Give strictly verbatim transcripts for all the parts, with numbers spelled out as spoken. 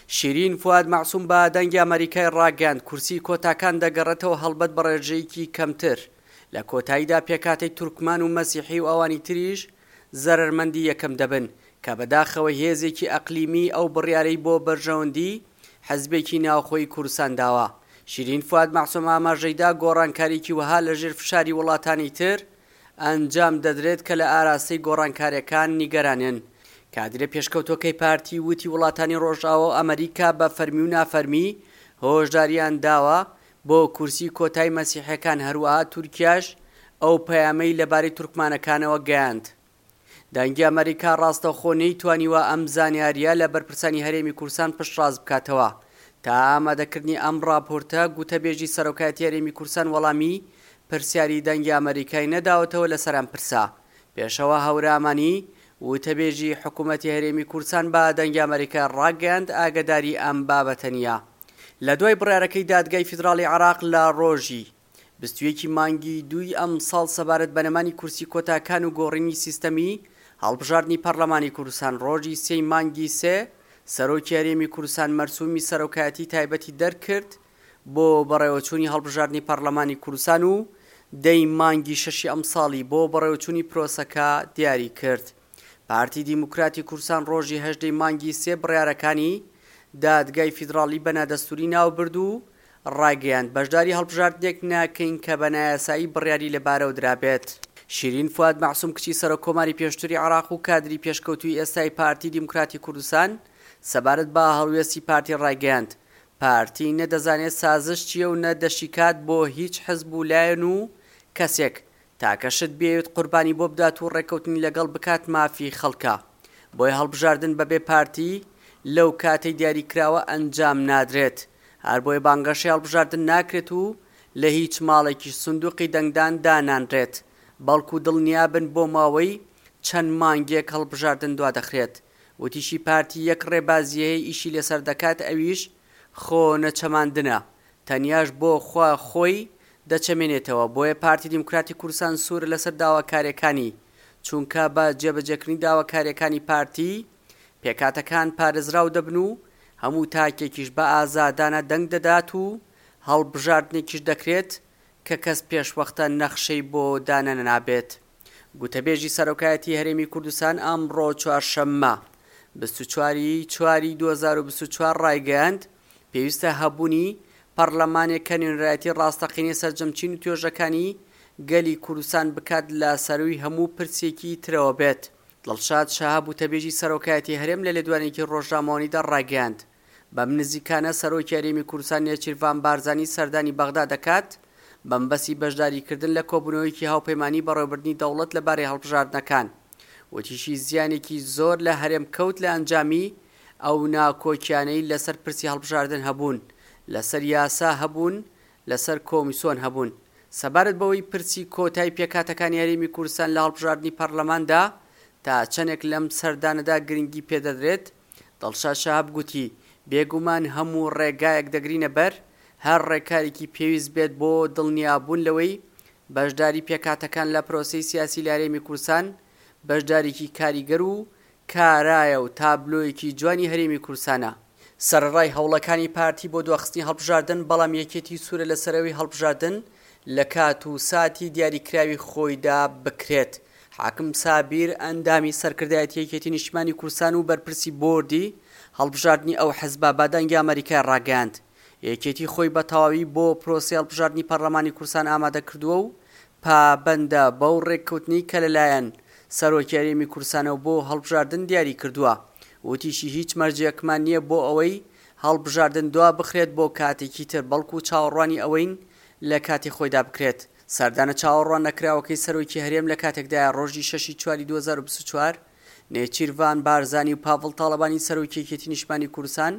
شیرین فواد مەعسوم بە دەنگی ئەمەریکای ڕاگەیاند، کورسی کۆتاکان دەگەڕێتەوە هەڵبەت بە ڕێژەیەکی کەمتر، لە کۆتاییدا پێکهاتەی تورکمان و مەسیحی و ئەوانی تریش زەرەرمەندی یەکەم دەبن، کە بەداخەوە هێزێکی ئەقلیمی ئەو بڕیارەی بۆ بەرژەوەندی حزبێکی ناوخۆی کوردستان داوە. شیرین فواد مەعسوم ئاماژەیدا گۆڕانکاریکی وەها لەژێر فشاری وڵاتانی تر ئەنجام دەدرێت کە لە ئاراستەی گۆڕانکاریەکان نیگەرانن. کادرە پێشکەوتوەکەی پارتی وتی وڵاتانی ڕۆژئاوا و ئەمریکا بە فەرمی و نافەرمی هۆشداریان داوە بۆ کورسی کۆتای مەسیحەکان، هەروەها تورکیاش ئەو پەیامەی لەبارەی تورکمانەکانەوە گەیاند. دەنگی ئەمریکا ڕاستەوخۆ نەیتوانیوە ئەم زانیاریە لە بەرپرسانی هەرێمی کوردستان پشتڕاست بکاتەوە. تا ئامادەکردنی ئەم راپۆرتە گوتەبێژی سەرۆکایەتی هەرێمی کوردستان وەڵامی پرسیاری دەنگی ئەمریکای نەداوەتەوە لەسەر ئەم پرسە. پێشەوە هەورامانی وتەبێژی حکوومەتی هەرێمی کوردستان بە دەنگی ئەمریکا ڕاگەیاند ئاگداری ئەم بابەتە نییە. لە دوای بڕیارەکەی دادگای فیدراڵی عێراق لە ڕۆژی بیست و یەکی مانگی دووی ئەمساڵ سەبارەت بە نەمانی کورسی کۆتاکان و گۆڕینی سیستەمی هەڵبژاردنی پەرلەمانی کوردستان، ڕۆژی سێی مانگی سێ سەرۆکی هەرێمی کوردستان مەرسومی سەرۆکایەتی تایبەتی دەرکرد بۆ بەڕێوەچوونی هەڵبژاردنی پەرلەمانی کوردستان و دەی مانگی شەشی ئەمساڵی بۆ بەڕێوەچوونی پرۆسەکە دیاری کرد. پارتی دیموکراتی کوردستان ڕۆژی هەژدەی مانگی سێ بڕیارەکانی دادگای فیدراڵی بە نادەستوری ناوبرد و ڕاگەیاند بەشداری هەڵبژاردنێک ناکەین کە بە نایاسایی بڕیاری لەبارەوە درابێت. شیرین فواد مەعسوم کچی سەرۆک کۆماری پێشتری عێراق و کادری پێشکەوتووی ئێستای پارتی دیموکراتی کوردستان سەبارەت بە هەڵوێستی پارتی ڕایگەیاند پارتی نەدەزانێت سازش چییە و نە دەشیکات بۆ هیچ حزب و لایەن و کەسێک، تاکە شت بیەوێت قوربانی بۆ بدات و ڕێککەوتنی لەگەڵ بکات مافی خەڵکە، بۆیە هەڵبژاردن بەبێ پارتی لەو کاتەی دیاریکراوە ئەنجام نادرێت، هەر بۆیە بانگەشەی هەڵبژاردن ناکرێت و لە هیچ ماڵێکیش سندوقی دەنگدان دانانرێت، بەڵکو دڵنیابن بۆ ماوەی چەند مانگێک هەڵبژاردن دوادەخرێت. وتیشی پارتی یەک ڕێبازی هەیە ئیشی لەسەر دەکات، ئەویش خۆ نەچەماندنە، تەنیاش بۆ خوا خۆی دەچەمێنێتەوە، بۆیە پارتی دیموکراتی کوردستان سوورە لەسەر داواکاریەکانی، چونکە بە جێبەجێکردنی داواکاریەکانی پارتی پێکاتەکان پارێزراو دەبن و هەموو تاکێکیش بە ئازادانە دەنگ دەدات و هەڵبژاردنێکیش دەکرێت کە کەس پێشوەختە نەخشەی بۆ دانەنابێت. گوتەبێژی سەرۆکایەتی هەرێمی کوردستان ئەمڕۆ چوارشەممە بیست و چوار چواری دوو هەزار و بیست و چوار ڕایگەیاند پێویستە هەبوونی پەرلەمانێک کە نوێنەرایەتی ڕاستەقینەی سەرجەم چین و توێژەکانی گەلی کوردستان بکات لە سەروی هەموو پرسێکی ترەوە بێت. دڵشاد شەهاب وتەبێژی سەرۆکایەتی هەرێم لە لێدوانێکی ڕۆژنامەوانیدا ڕایگەیاند بەم نزیکانە سەرۆکی هەرێمی کوردستان نێچیرڤان بارزانی سەردانی بەغدا دەکات بەمبەسی بەشداریکردن لە کۆبوونەوەیەکی هاوپەیمانی بەڕێوەبردنی دەوڵەت لەبارەی هەڵبژاردنەکان. وتیشی زیانێکی زۆر لە هەرێم کەوت لە ئەنجامی ئەو ناکۆکیانەی لەسەر پرسی هەڵبژاردن هەبوون، لەسەر یاسا هەبوون، لەسەر کۆمیسۆن هەبوون. سەبارەت بەوەی پرسی کۆتای پێکهاتەکانی هەرێمی کوردستان لە هەڵبژاردنی پەرلەماندا تا چەندێک لەم سەردانەدا گرنگی پێدەدرێت، دڵشاد شەهاب گوتی بێگومان هەموو ڕێگایەک دەگرینە بەر، هەر ڕێکارێکی پێویست بێت بۆ دڵنیابوون لەوەی بەشداری پێکهاتەکان لە پرۆسەی سیاسی لە هەرێمی کوردستان بەشداریکی کاریگەر و کارایە و تابلۆیەکی جوانی هەرێمی کوردستانە. سەرەڕای هەوڵەکانی پارتی بۆ دواخستنی هەڵبژاردن، بەڵام یەکێتی سوورە لەسەرەوەی هەڵبژاردن لە کات و ساتی دیاریکراوی خۆیدا بکرێت. حاکم سابیر ئەندامی سەرکردایەتی یەکێتی نیشتمانی کوردستان و بەرپرسی بۆردی هەڵبژاردنی ئەو حزبە بە دەنگی ئەمریکای ڕاگەیاند یەکێتی خۆی بە تەواوی بۆ پرۆسەی هەڵبژاردنی پەرلەمانی کوردستان ئامادە کردووە و پابەندە بەو ڕێککەوتنەی کە لەلایەن سەرۆکی هەرێمی کوردستانەوە بۆ هەڵبژاردن دیاری کردووە. وتیشی هیچ مەرجێکمان نییە بۆ ئەوەی هەڵبژاردن دوا بخرێت بۆ کاتێکی تر، بەڵکو چاوەڕوانی ئەوەین لە کاتی خۆیدا بکرێت. سەردانە چاوەڕوان نەکراوەکەی سەرۆکی هەرێم لە کاتێکدایە ڕۆژی شەشی چواری دوو هەزار و بیست و چوار نێچیرڤان بارزانی و پاڤڵ تاڵەبانی سەرۆکی یەکێتی نیشتمانی کوردستان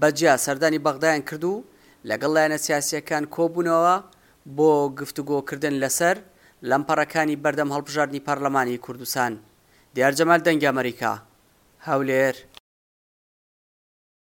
بەجیا سەردانی بەغدایان کرد و لەگەڵ لایەنە سیاسیەکان کۆبوونەوە بۆ گفتوگۆکردن لەسەر لەمپەڕەکانی بەردەم هەڵبژاردنی پەرلەمانی کوردستان. دیار جەمال، دەنگی ئەمریکا، هەولێر.